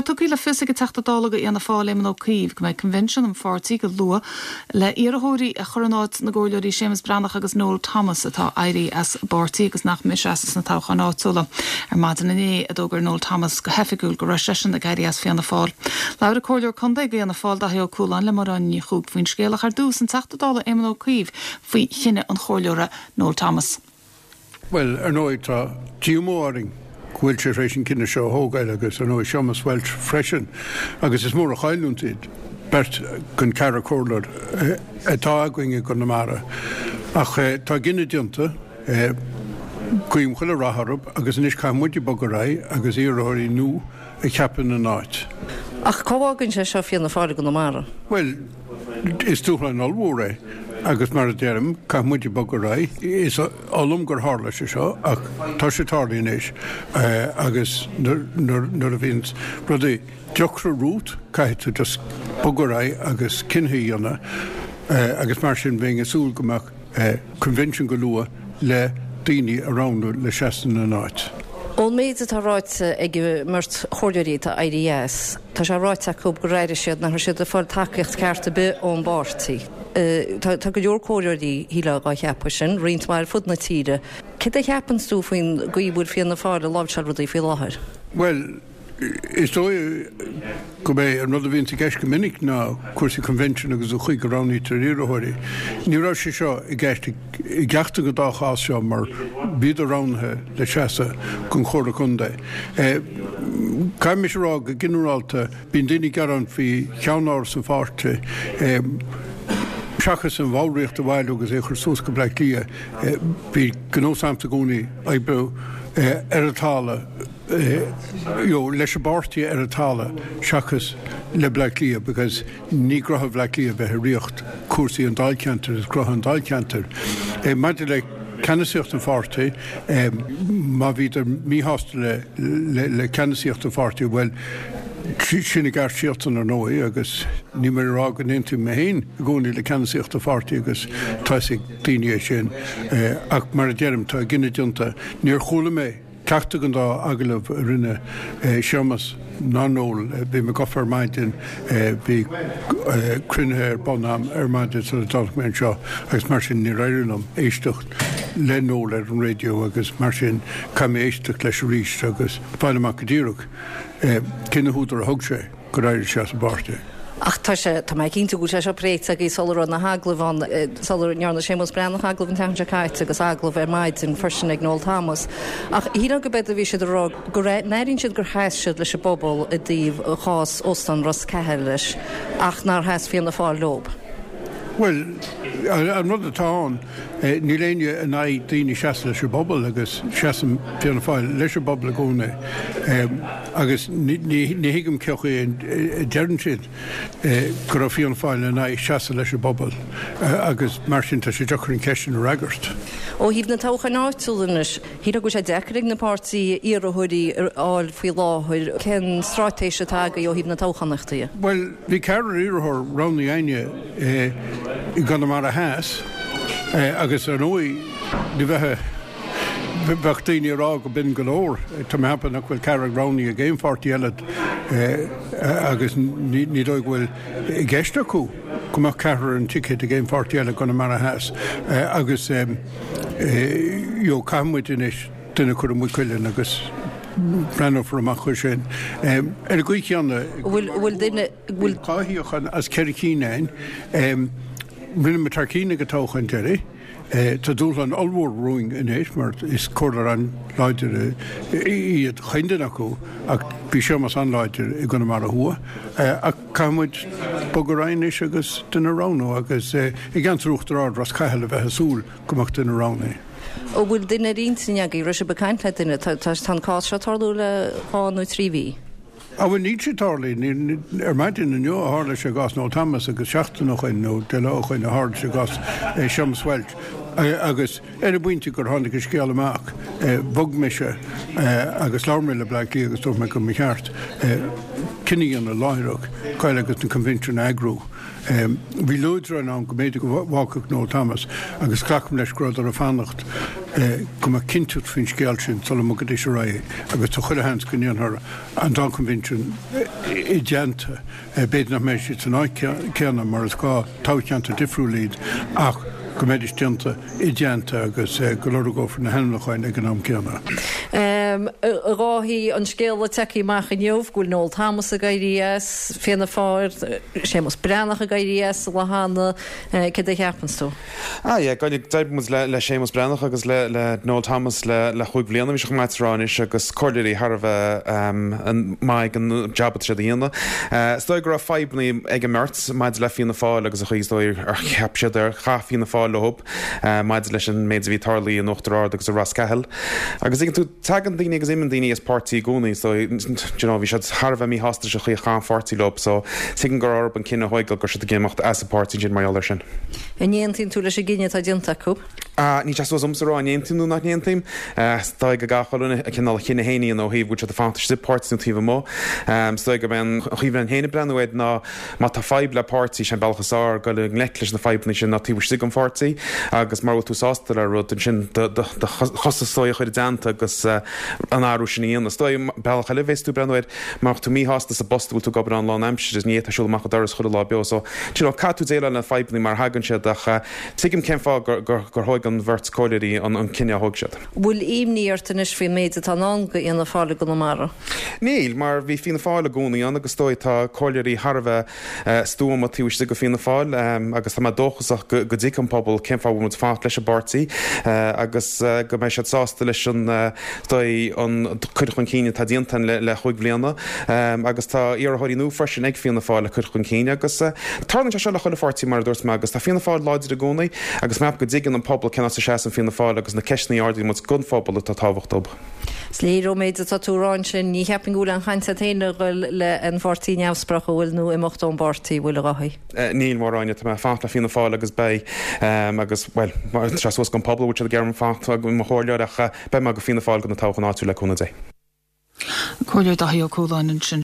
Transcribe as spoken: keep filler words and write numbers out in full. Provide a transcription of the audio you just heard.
tugtha le fios ag an Teachta Dála do Fhianna Fáil Éamon Ó Cuív go mbeidh convention an pháirtí go luath le iarrthóirí a chur in áit na gcomhairleoirí Séamus Breathnach agus Noel Thomas atá éirithe as an bpáirtí agus nach mbeidh ag seasamh sna toghcháin áitiúla. Ar maidin inné a d'fhógair Noel Thomas go hoifigiúil go raibh seisean ag éirí as Fianna Fáil. Labhair an Comhairleoir Contae do Fhianna Fáil Daithí Ó Cualáin le Máire Ní Chuaig faoin scéal ach ar dtús an Teachta Dála Éamon Ó Cuív faoi chinneadh an chomhairleora Noel Thomas. Well, ar ndóigh tá díomá orainn go bhfuil sé tar éis an cinneadh seo a thógáil agus ar ndóigh Séamus Walsh freisin, agus is mór an chailliúint iad beirt den cheathrar comhairleoir atá againn i gConamara. Ach tá cinneadh déanta guím chuile rath orthu agus anois caithfidh muid bogadh ar aghaidh agus iarrthóirí nua a cheapadh ina n-áit. Ach cá bhfágann sé seo Fianna Fáil i gConamara? Well, is dúshlán ollmhór é agus mar a deirim caithfidh muid bogadh ar aghaidh. Is oth liom gur tharla sé seo ach tá sé tarlaithe anois agus nuair a bhíonn rudaí deacra romhat caithfidh tú just bogadh ar aghaidh agus cinntí a dhéanamh agus mar sin bheinn ag súil go mbeadh convention go luath le daoine a roghnú le seasamh ina n-áit. Ón méid atá ráite ag an mbeirt chomhairleoirí atá éirithe as, tá sé ráite acu gur airigh siad nach raibh siad ag fáil tacaíocht ceart ar bith ón bpáirtí. Tá go leor comhairleoirí shílfeá dhá cheapadh sin, roinnt mhaith ar fud na tíre. Céard a cheapann tú faoin gcaoi a bhfuil Fianna Fáil ag láimhseáil rudaí faoi láthair? Well, is dóigh go mbeidh an rud a bhíonn i gceist go minic ná cúrsaí convention agus an chaoi go roghnaítear iarrthóirí. Ní raibh sé seo i gceist i gceachtar den dá chás seo mar bhíodar roghnaithe le seasamh don Chomhairle Contae. Caithfidh mise rá go ginearálta bíonn daoine ag gearán faoi cheannáras an pháirtí. Seachas an bhallraíocht a bhailiú agus é chur suas go Bleá Cliath bhí gnós agamsa i gcónaí oibriú ar an talamh you leis an bpáirtí ar an talamh seachas le Bleá Cliath because ní gnó Bhleá Cliath bheith ag ritheacht cúrsaí an dáilcheantair is gnó an dáilcheantair. Maidir le ceannasaíocht an pháirtí má bhíodar míshásta le, le, le ceannasaíocht an pháirtí well sin a gceart siadsan ar ndóigh agus ní mar rá go n-aontaím mé féin i gcónaí le ceannasaíocht an pháirtí agus tá ag daoine é sin ach mar a deirim tá cinneadh déanta níor chuala mé ceachtar den dá agallamh a rinne Séamus ná Noel bhí mé gafa ar maidin bhí cruinnithe ar bun agam ar maidin sula dtáinig mé anseo agus mar sin níor éirigh liom éisteacht le Noel ar an raidió agus mar sin caithfidh mé éisteacht leis arís agus fáil amach go díreach cé na húdair a thug sé gur éirigh sé as an bpáirtí. Ach tá sé tá mé cinnte go bhfuil sé seo pléite agaibh sula raibh na hagallaimh ann sula ndearna Séamus Breathnach agallamh an tseachtain seo caite agus agallamh ar maidin freisin ag Noel Thomas. Ach shílfeá go b'fhéidir bhí siad ag rá go n-airíonn siad gur sheas siad leis an bpobal i dtaobh chás Óstán Ros Cheathail ach nár sheas Fianna Fáil leo. Well, an rud atá ann níl éinne in aghaidh daoine seasamh leis an bpobal agus seasann Fianna Fáil leis an bpobal i gcónaí agus ní thuigim cén chaoi a ndeireann siad go raibh Fianna Fáil in aghaidh seasamh leis an bpobal agus mar sin tá sé deacair an cheist sin a fhreagairt. Ó thaobh na toghcháin áitiúil anois, shílfeá go bhfuil sé deacair ag na páirtithe iarrthóirí a fháil faoi láthair cén straitéis atá agaibh ó thaobh na toghchánaíochta. Well, bhí ceathrar iarrthóir roghnaithe againne i gConamara Theas agus ar ndóigh ní bheith bheadh daoine ag rá go b'in go leor Tá mé ag ceapadh nach bhfuil ceathrar roghnaithe ag aon pháirtí eile agus ní dóigh go bhfuil i gceist acu go mbeadh ceathrar an ticket ag aon pháirtí eile Conamara Theas agus you caithfidh muid anois duine a chur i Maigh Cuilinn agus breathnófar amach chuir sin. Ar an gcaoi chéanna bhfuil duine bhfuil dhá shuíochán as ceithre cinn againn rinne muid thar cinn ag an toghchán deiridh. Tá dúshlán ollmhór romhainn anois mar is comhairleoir an-láidir iad chaon duine acu ach bhí Séamus an-láidir i gConamara Thuaidh ach caithfidh muid bogadh ar aghaidh anois agus duine a roghnú agus i gceantar Uachtar Ard Ros Cathail a bheith ag súil go mbeadh duine roghnaithe. Ó bhfuil duine ar intinn agaibh raibh sibh ag caint le duine tá an cás seo tarlú le dhá nó trí mhí. A bhfuil níl sé tarlaithe ar maidin inniu a tharla sé i gcás Noel Thomas agus seachtain ó shin nó deich lá ó shin a tharla sé i gcás Séamus Walsh agus ar an bpointe gur tháinig an scéal amach bhog mise agus labhair mé le Bleá Cliath agus dúirt mé go mba cheart cinneadh a dhéanamh láithreach gabháil agus na convention a eagrú. Bhí luaidreáin ann go mb'fhéidir go bhfágfadh Noel Thomas agus glacaim leis go rabhadar ag fanacht go mbeadh cinnteacht faoin scéal sin sula mbogfaidís ar aghaidh agus tá chuile sheans go ndéanfar an dá convention i dteannta. B'fhéidir nach mbeidh siad san áit céanna mar is dhá toghcheantar difriúil iad ach go mbeidís déanta i dteannta agus go lorgófar na hainmniúcháin ag an am céanna. A Dháithí, an scéal a tagtha amach inniu go bhfuil Noel Thomas ag éirí as Fianna Fáil, Séamus Breathnach ag éirí as an lá cheana, céard a cheapanns tú? Ah yeah, d'oibrigh muid le le Séamus Breathnach agus le le Noel Thomas le le chúig bhliana bhí sé chomh maith a rá anois agus comhairleoirí thar a bheith maith ag an jab atá siad a dhéanamh. Is dóigh go raibh fadhbanna ag an mbeirt maidir le Fianna Fáil agus an chaoi is dóigh ar cheap siad ar chaith Fianna Fáil leo maidir leis an méid a bhí tarlaithe in Uachtar Ard agus i Ros Cathail. Agus tuigeann tú tagann daoine agus imíonn daoine as páirtí i gcónaí so you know bhí siad thar a bheith míshásta leis an chaoi a chaith an pháirtí leo so tuigim gur orthu an cinneadh a thógáil go raibh siad ag imeacht as an páirtí ansin mar gheall air sin. An aontaíonn tú leis an gcinneadh atá déanta acu? Níl sé suas domsa a rá an aontaím nó nach n-aontaím. Is dóigh go gcaithfidh chuile dhuine a chineál a chinneadh féin a dhéanamh ó thaobh bhfuil siad ag fanacht istigh sa pháirtí nó taobh amuigh. Is dóigh gurb é an chaoi a bheinn féin ag breathnú air ná má tá fadhb le páirtí, sé an bealach is fearr dul i ngleic leis na fadhbanna sin ná taobh istigh den pháirtí agus mura bhfuil tú sásta le rud ansin do chosa is dóigh a chur i dteannta agus an athrú sin a dhéanamh. Is dóigh bealach eile a bheas tú ag breathnú air má tá tú míshásta sa bpost a bhfuil tú ag obair ann lánaimseartha ní fhéadfá siúl amach an doras chuile lá beo so you know caithfidh tú déileáil le na fadhbanna mar a thagann siad ach tuigim cén fáth gur thóg an bheirt comhairleoirí an cinneadh a thóg siad. Bhfuil imní ort anois faoin méid atá i ndán do Fhianna Fáil i gConamara? Níl, mar bhí Fianna Fáil i gcónaí ann agus is dóigh tá comhairleoirí thar a bheith stuama taobh istigh de Fianna Fáil agus tá mé dóchasach go dtuigfidh an pobal cén fáth a bhfuil muid ag fanacht leis an bpáirtí agus go mbeidh siad sásta leis an dóigh an cur chun cinn atá déanta le chúig bhliana agus tá iarrthóirí nua freisin ag Fianna Fáil le cur chun cinn agus tarlaíonn sé seo le chuile pháirtí mar a dúirt mé agus tá Fianna Fáil láidir i gcónaí agus mé ag ceapadh go dtuigeann an pobal cén áit a seasann Fianna Fáil agus na ceisteanna a ardaíonn muid don phobal atá tábhachtach dóibh. Is léir ón méid atá tú a rá ansin, ní cheapfainn go bhfuil aon chaint agat féin a dhul le an pháirtí neamhspleách an bhfuil nó imeacht ón bpáirtí, an bhfuil a Dháithí? Níl, Máire Áine, tá mé ag fanacht le Fianna Fáil agus beidh agus, bhuel, tá sé suas don phobal an bhfuil siad ag iarraidh orm fanacht i mo chomhairleoir ach beidh mé go Fianna Fáil go na toghcháin áitiúil le cúnamh Dé. Comhairleoir Dáithí Ó Cualáin ansin.